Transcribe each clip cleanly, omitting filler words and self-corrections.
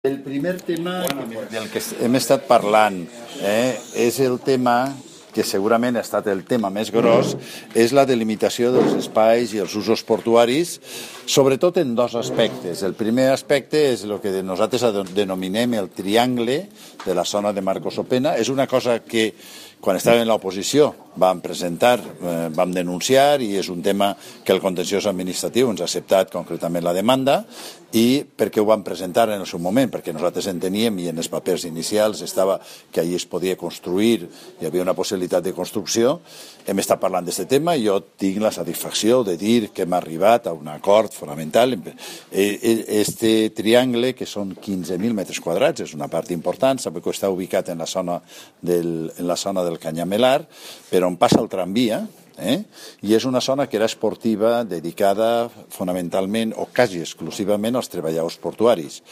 El primer tema del que hem estat parlant és el tema que segurament ha estat el tema més gros, és la delimitació dels espais i els usos portuaris, sobretot en dos aspectes. El primer aspecte és el que nosaltres denominem el triangle de la zona de Marcos Opena. És una cosa que quan estàvem en l'oposició vam presentar, vam denunciar, i és un tema que el contenciós administratiu ens ha acceptat concretament la demanda. I per què ho vam presentar en el seu moment? Perquè nosaltres enteníem, i en els papers inicials estava que allí es podia construir, hi havia una possibilitat de construcció. Hem estat parlant d'aquest tema i jo tinc la satisfacció de dir que hem arribat a un acord fonamental. Este triangle, que són 15.000 metres quadrats, és una part important. Sabeu que està ubicat en la zona del Canyamelar, per on passa el tramvia, i és una zona que era esportiva, dedicada fonamentalment o quasi exclusivament als treballadors portuaris.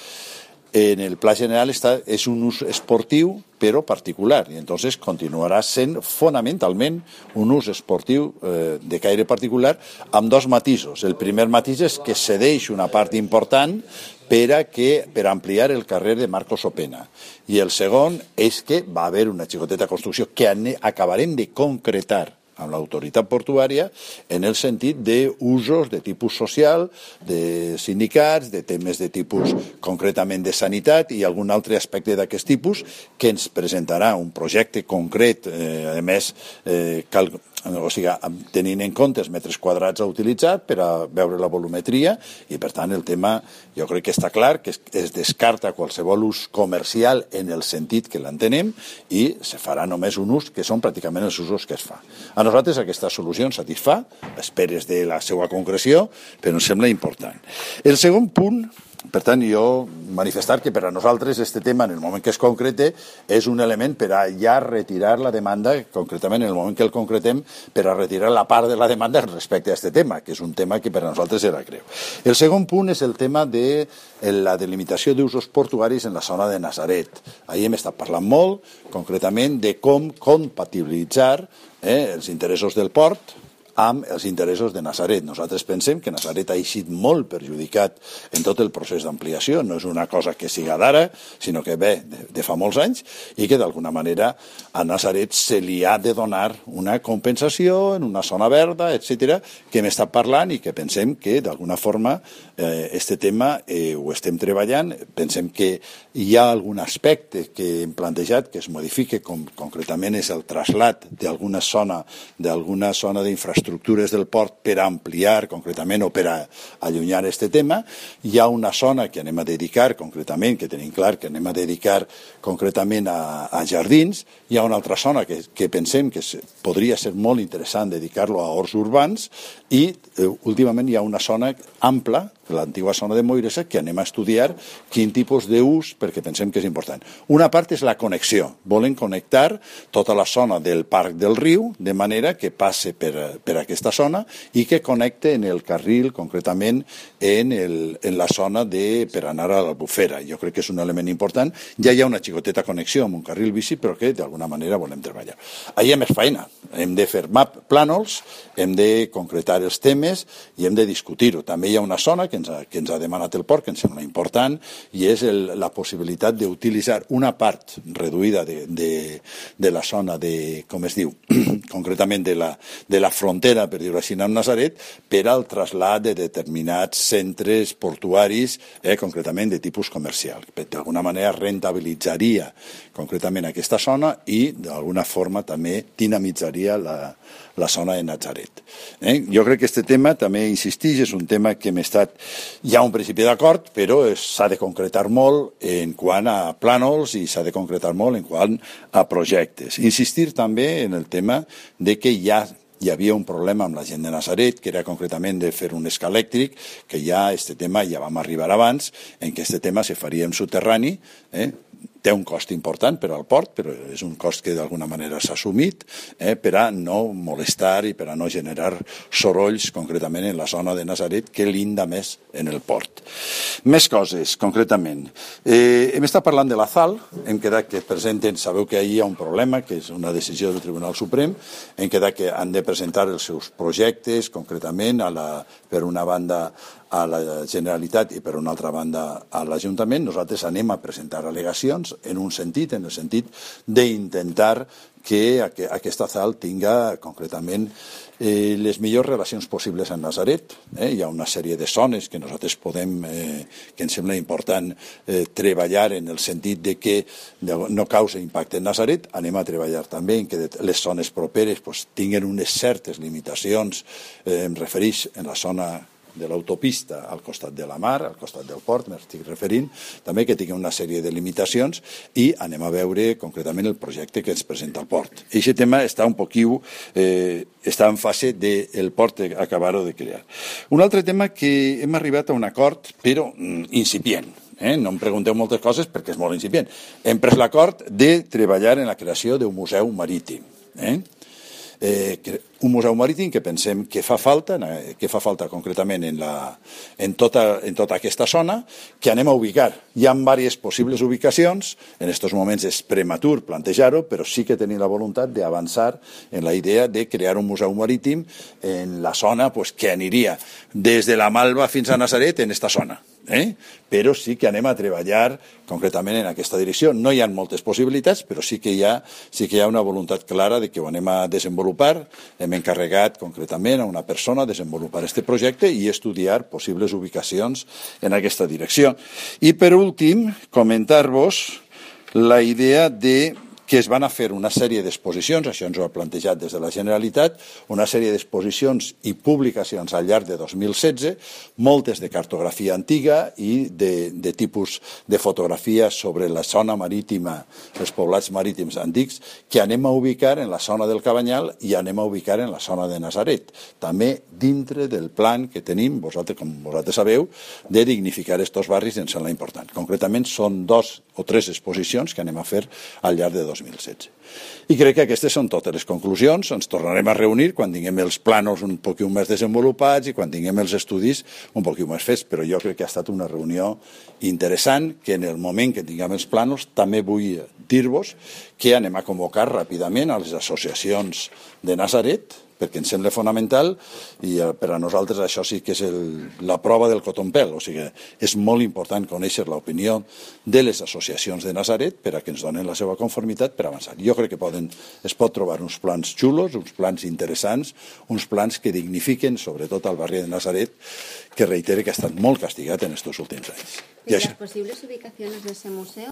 En el pla general és un ús esportiu però particular, i entonces continuarà sent fonamentalment un ús esportiu de caire particular, amb dos matisos. El primer matís és que cedeix una part important per ampliar el carrer de Marcos Opena, i el segon és que va haver una xicoteta construcció que acabarem de concretar amb l'autoritat portuària en el sentit d'usos de tipus social, de sindicats, de temes de tipus concretament de sanitat i algun altre aspecte d'aquest tipus, que ens presentarà un projecte concret, a més, tenint en compte els metres quadrats a utilitzar per a veure la volumetria, i per tant el tema jo crec que està clar, que es descarta qualsevol ús comercial en el sentit que l'entenem, i se farà només un ús que són pràcticament els usos que es fa. A nosaltres aquesta solució ens satisfà, esperes de la seva concreció, però ens sembla important. El segon punt, per tant, jo manifestar que per a nosaltres este tema, en el moment que es concrete, és un element per a ja retirar la demanda, concretament en el moment que el concretem, per a retirar la part de la demanda respecte a este tema, que és un tema que per a nosaltres era greu. El segon punt és el tema de la delimitació d'usos portuaris en la zona de Natzaret. Ahir hem estat parlant molt, concretament, de com compatibilitzar els interessos del port amb els interessos de Natzaret. Nosaltres pensem que Natzaret ha eixit molt perjudicat en tot el procés d'ampliació. No és una cosa que siga d'ara, sinó que ve de fa molts anys, i que d'alguna manera a Natzaret se li ha de donar una compensació en una zona verda, etc., que hem estat parlant i que pensem que d'alguna forma este tema ho estem treballant. Pensem que hi ha algun aspecte que hem plantejat que es modifique, com concretament és el trasllat d'alguna zona d'infraestructures del port per ampliar concretament o per a allunyar este tema. Hi ha una zona que anem a dedicar concretament, que tenim clar que anem a dedicar concretament a jardins. Hi ha una altra zona que pensem que podria ser molt interessant dedicar-lo a horts urbans, i últimament hi ha una zona ampla, l'antiga zona de Moiresa, que anem a estudiar quin tipus d'ús, perquè pensem que és important. Una part és la connexió. Volen connectar tota la zona del Parc del Riu, de manera que passe per aquesta zona i que connecte en el carril, concretament en la zona per anar a l'Albufera. Jo crec que és un element important. Ja hi ha una xicoteta connexió amb un carril bici, però que d'alguna manera volem treballar. Ahir hi ha més feina. Hem de fer plànols, hem de concretar els temes i hem de discutir-ho. També hi ha una zona que ens ha demanat el port, que ens sembla important, i és la possibilitat d'utilitzar una part reduïda de la zona com es diu, concretament de la frontera, per dir-ho així, amb Natzaret, per al trasllat de determinats centres portuaris, concretament de tipus comercial. D'alguna manera rentabilitzaria concretament aquesta zona i d'alguna forma també dinamitzaria la zona de Natzaret. Jo crec que aquest tema també insistix, és un tema que hem estat hi ha un principi d'acord, però s'ha de concretar molt en quant a plànols i s'ha de concretar molt en quant a projectes. Insistir també en el tema de que hi havia un problema amb la gent de Natzaret, que era concretament de fer un escà elèctric, que ja aquest tema ja vam arribar abans, en què aquest tema se faria en soterrani, té un cost important per al port, però és un cost que d'alguna manera s'ha assumit per a no molestar i per a no generar sorolls concretament en la zona de Natzaret, que linda més en el port. Més coses, concretament. Hem estat parlant de la ZAL, hem quedat que presenten, sabeu que ahir hi ha un problema, que és una decisió del Tribunal Suprem, hem quedat que han de presentar els seus projectes, concretament, per una banda a la Generalitat i, per una altra banda, a l'Ajuntament, nosaltres anem a presentar al·legacions en un sentit, en el sentit d'intentar que aquesta ZAL tinga concretament les millors relacions possibles amb Nazaret. Hi ha una sèrie de zones que nosaltres podem, que ens sembla important treballar en el sentit de que no causa impacte en Nazaret. Anem a treballar també en que les zones properes tinguin unes certes limitacions, em refereix en la zona de l'autopista al costat de la mar, al costat del port, m'estic referint, també que tingui una sèrie de limitacions i anem a veure concretament el projecte que ens presenta el port. Aquest tema està un poquiu, està en fase del port acabar-ho de crear. Un altre tema que hem arribat a un acord, però incipient. No em pregunteu moltes coses perquè és molt incipient. Hem pres l'acord de treballar en la creació d'un museu marítim. Un museu marítim que pensem que fa falta concretament en tota aquesta zona, que anem a ubicar. Hi ha diverses possibles ubicacions, en aquests moments és prematur plantejar-ho, però sí que tenim la voluntat d'avançar en la idea de crear un museu marítim en la zona que aniria des de la Malva fins a Nazaret, en aquesta zona. Però sí que anem a treballar concretament en aquesta direcció. No hi ha moltes possibilitats, però sí que hi ha una voluntat clara de que ho anem a desenvolupar. Hem encarregat concretament a una persona desenvolupar aquest projecte i estudiar possibles ubicacions en aquesta direcció. I per últim, comentar-vos la idea de que es van a fer una sèrie d'exposicions, això ens ho ha plantejat des de la Generalitat, una sèrie d'exposicions i publicacions al llarg de 2016, moltes de cartografia antiga i de tipus de fotografia sobre la zona marítima, els poblats marítims antics, que anem a ubicar en la zona del Cabanyal i anem a ubicar en la zona de Nazaret. També dintre del plan que tenim, com vosaltres sabeu, de dignificar aquests barris ens sembla important. Concretament són 2 o 3 exposicions que anem a fer al llarg de 2016. I crec que aquestes són totes les conclusions. Ens tornarem a reunir quan tinguem els plànols un poc més desenvolupats i quan tinguem els estudis un poc més fets, però jo crec que ha estat una reunió interessant, que en el moment que tinguem els plànols també vull dir-vos que anem a convocar ràpidament a les associacions de Nazaret, perquè ens sembla fonamental i per a nosaltres això sí que és la prova del cotonpel, o sigui, és molt important conèixer l'opinió de les associacions de Nazaret per a que ens donen la seva conformitat per avançar. Jo crec que es pot trobar uns plans xulos, uns plans interessants, uns plans que dignifiquen sobretot el barri de Nazaret, que reitere que ha estat molt castigat en aquests últims anys. ¿Y las posibles ubicaciones de ese museo?